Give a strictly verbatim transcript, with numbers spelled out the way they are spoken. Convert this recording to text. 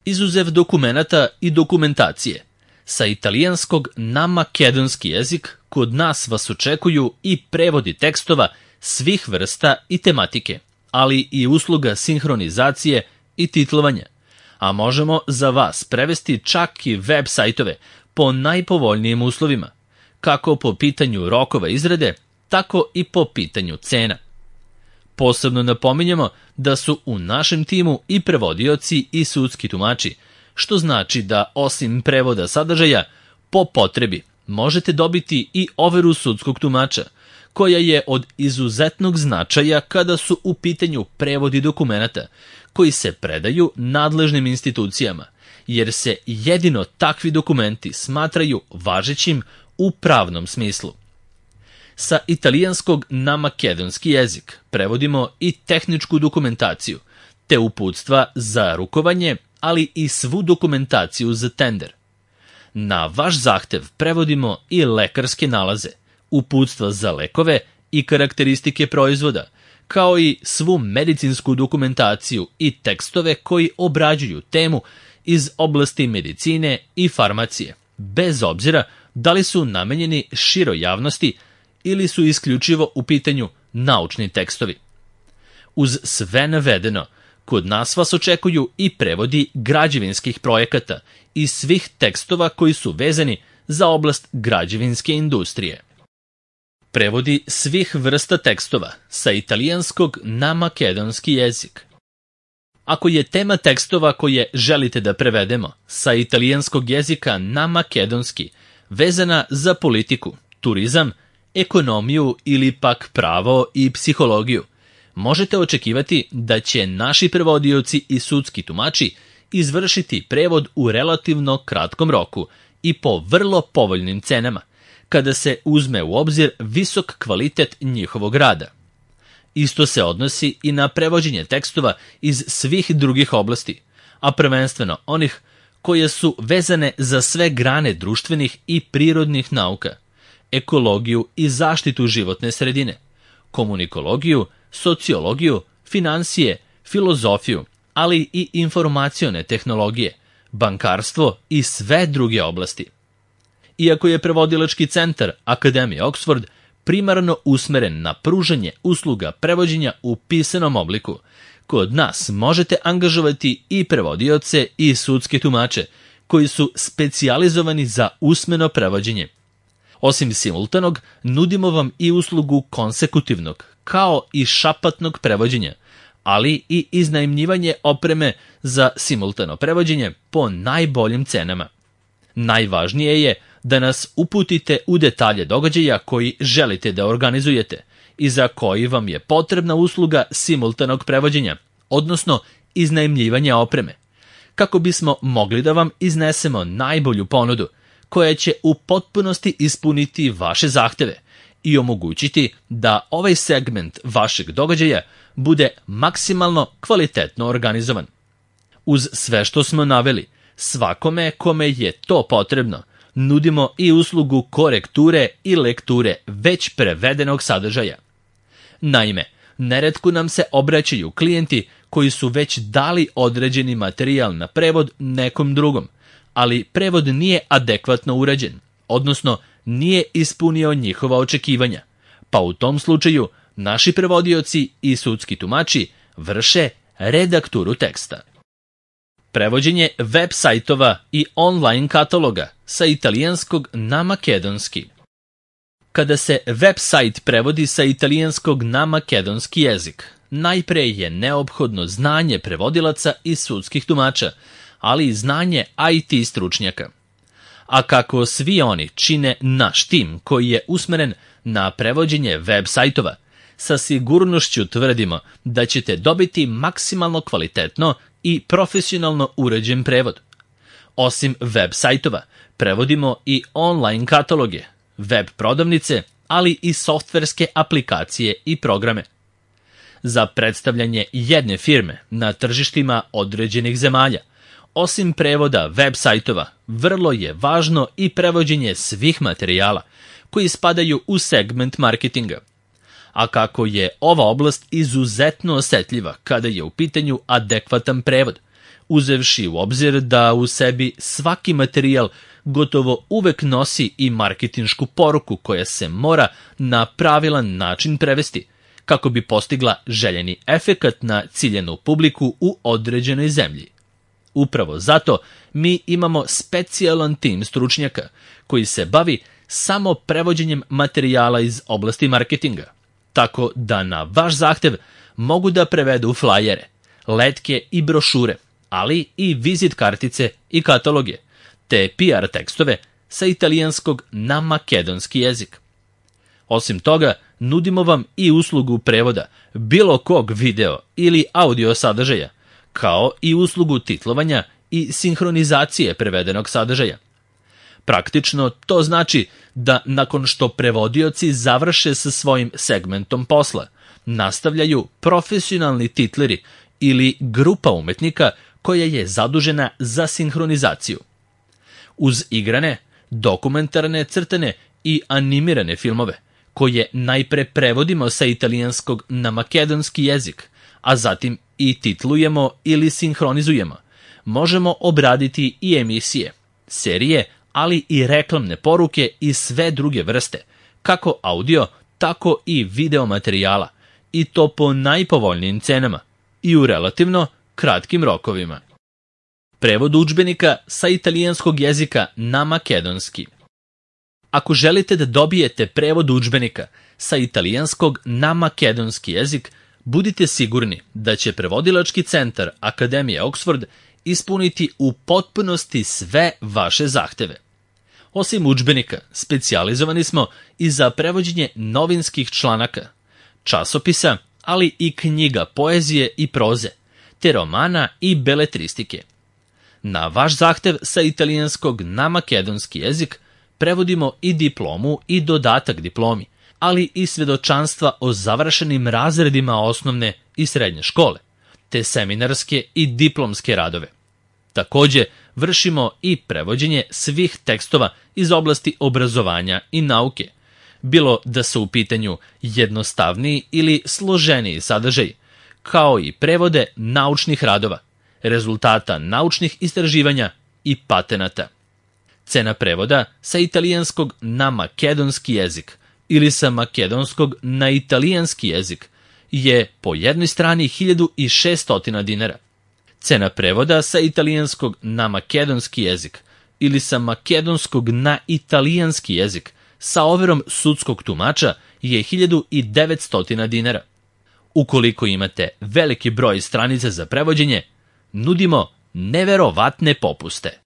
Izuzev dokumenata i dokumentacije, sa italijanskog na makedonski jezik kod nas vas očekuju i prevodi tekstova svih vrsta i tematike, ali i usluga sinhronizacije i titlovanja, a možemo za vas prevesti čak i web sajtove po najpovoljnijim uslovima, kako po pitanju rokova izrade, tako i po pitanju cena. Posebno napominjemo da su u našem timu i prevodioci i sudski tumači, što znači da osim prevoda sadržaja, po potrebi možete dobiti i overu sudskog tumača, koja je od izuzetnog značaja kada su u pitanju prevodi dokumenata koji se predaju nadležnim institucijama, jer se jedino takvi dokumenti smatraju važećim u pravnom smislu. Sa italijanskog na makedonski jezik prevodimo i tehničku dokumentaciju, te uputstva za rukovanje, ali i svu dokumentaciju za tender. Na vaš zahtev prevodimo i lekarske nalaze, uputstva za lekove i karakteristike proizvoda, kao i svu medicinsku dokumentaciju i tekstove koji obrađuju temu iz oblasti medicine i farmacije, bez obzira da li su namenjeni široj javnosti ili su isključivo u pitanju naučni tekstovi. Uz sve navedeno, kod nas vas očekuju i prevodi građevinskih projekata i svih tekstova koji su vezani za oblast građevinske industrije. Prevodi svih vrsta tekstova sa italijanskog na makedonski jezik. Ako je tema tekstova koje želite da prevedemo sa italijanskog jezika na makedonski vezana za politiku, turizam, ekonomiju ili pak pravo i psihologiju, možete očekivati da će naši prevodioci i sudski tumači izvršiti prevod u relativno kratkom roku i po vrlo povoljnim cenama, kada se uzme u obzir visok kvalitet njihovog rada. Isto se odnosi i na prevođenje tekstova iz svih drugih oblasti, a prvenstveno onih koje su vezane za sve grane društvenih i prirodnih nauka, ekologiju i zaštitu životne sredine, komunikologiju, sociologiju, finansije, filozofiju, ali i informacione tehnologije, bankarstvo i sve druge oblasti. Iako je prevodilački centar Akademije Oxford primarno usmeren na pružanje usluga prevođenja u pisanom obliku, kod nas možete angažovati i prevodioce i sudske tumače koji su specijalizovani za usmeno prevođenje. Osim simultanog, nudimo vam i uslugu konsekutivnog, kao i šapatnog prevođenja, ali i iznajmljivanje opreme za simultano prevođenje po najboljim cenama. Najvažnije je da nas uputite u detalje događaja koji želite da organizujete i za koji vam je potrebna usluga simultanog prevođenja, odnosno iznajmljivanja opreme, kako bismo mogli da vam iznesemo najbolju ponudu koja će u potpunosti ispuniti vaše zahteve i omogućiti da ovaj segment vašeg događaja bude maksimalno kvalitetno organizovan. Uz sve što smo naveli, svakome kome je to potrebno, nudimo i uslugu korekture i lekture već prevedenog sadržaja. Naime, neretko nam se obraćaju klijenti koji su već dali određeni materijal na prevod nekom drugom, ali prevod nije adekvatno urađen, odnosno nije ispunio njihova očekivanja, pa u tom slučaju naši prevodioci i sudski tumači vrše redakturu teksta. Prevođenje web sajtova i online kataloga sa italijanskog na makedonski. Kada se web sajt prevodi sa italijanskog na makedonski jezik, najpre je neophodno znanje prevodilaca i sudskih tumača, ali i znanje I T stručnjaka. A kako svi oni čine naš tim koji je usmeren na prevođenje web sajtova, sa sigurnošću tvrdimo da ćete dobiti maksimalno kvalitetno i profesionalno uređen prevod. Osim web sajtova, prevodimo i online kataloge, web prodavnice, ali i softverske aplikacije i programe. Za predstavljanje jedne firme na tržištima određenih zemalja, osim prevoda web sajtova, vrlo je važno i prevođenje svih materijala koji spadaju u segment marketinga. A kako je ova oblast izuzetno osetljiva kada je u pitanju adekvatan prevod, uzevši u obzir da u sebi svaki materijal gotovo uvek nosi i marketinšku poruku koja se mora na pravilan način prevesti, kako bi postigla željeni efekat na ciljenu publiku u određenoj zemlji. Upravo zato mi imamo specijalan tim stručnjaka koji se bavi samo prevođenjem materijala iz oblasti marketinga, tako da na vaš zahtev mogu da prevedu flajere, letke i brošure, ali i vizit kartice i kataloge, te P R tekstove sa italijanskog na makedonski jezik. Osim toga, nudimo vam i uslugu prevoda bilo kog video ili audio sadržaja, kao i uslugu titlovanja i sinhronizacije prevedenog sadržaja. Praktično to znači da nakon što prevodioci završe sa svojim segmentom posla, nastavljaju profesionalni titleri ili grupa umetnika koja je zadužena za sinhronizaciju. Uz igrane, dokumentarne, crtane i animirane filmove, koje najpre prevodimo sa italijanskog na makedonski jezik, a zatim i titlujemo ili sinhronizujemo, možemo obraditi i emisije, serije, ali i reklamne poruke i sve druge vrste, kako audio, tako i video materijala, i to po najpovoljnijim cenama i u relativno kratkim rokovima. Prevod udžbenika sa italijanskog jezika na makedonski. Ako želite da dobijete prevod udžbenika sa italijanskog na makedonski jezik, budite sigurni da će prevodilački centar Akademije Oxford ispuniti u potpunosti sve vaše zahteve. Osim udžbenika, specijalizovani smo i za prevođenje novinskih članaka, časopisa, ali i knjiga poezije i proze, te romana i beletristike. Na vaš zahtev sa italijanskog na makedonski jezik prevodimo i diplomu i dodatak diplomi, ali i svedočanstva o završenim razredima osnovne i srednje škole, te seminarske i diplomske radove. Takođe, vršimo i prevođenje svih tekstova iz oblasti obrazovanja i nauke, bilo da su u pitanju jednostavniji ili složeniji sadržaj, kao i prevode naučnih radova, rezultata naučnih istraživanja i patenata. Cena prevoda sa italijanskog na makedonski jezik ili sa makedonskog na italijanski jezik je po jednoj strani hiljadu šesto dinara. Cena prevoda sa italijanskog na makedonski jezik ili sa makedonskog na italijanski jezik sa overom sudskog tumača je hiljadu devetsto dinara. Ukoliko imate veliki broj stranica za prevođenje, nudimo neverovatne popuste.